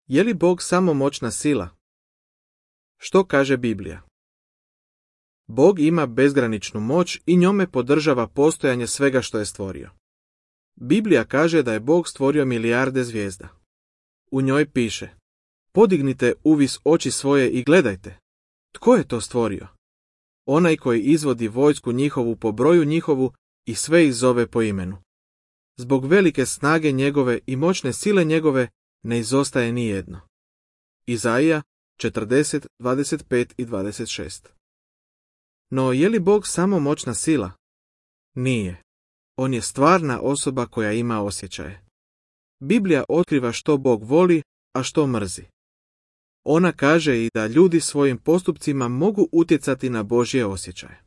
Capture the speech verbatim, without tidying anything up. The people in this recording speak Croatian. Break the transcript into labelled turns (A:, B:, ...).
A: Je li Bog samo moćna sila? Što kaže Biblija? Bog ima bezgraničnu moć i njome podržava postojanje svega što je stvorio. Biblija kaže da je Bog stvorio milijarde zvijezda. U njoj piše: podignite uvis oči svoje i gledajte. Tko je to stvorio? Onaj koji izvodi vojsku njihovu po broju njihovu i sve ih zove po imenu. Zbog velike snage njegove i moćne sile njegove ne izostaje ni jedno. Izaija četrdeset, dvadeset pet i dvadeset šest. No je li Bog samo moćna sila? Nije. On je stvarna osoba koja ima osjećaje. Biblija otkriva što Bog voli, a što mrzi. Ona kaže i da ljudi svojim postupcima mogu utjecati na Božje osjećaje.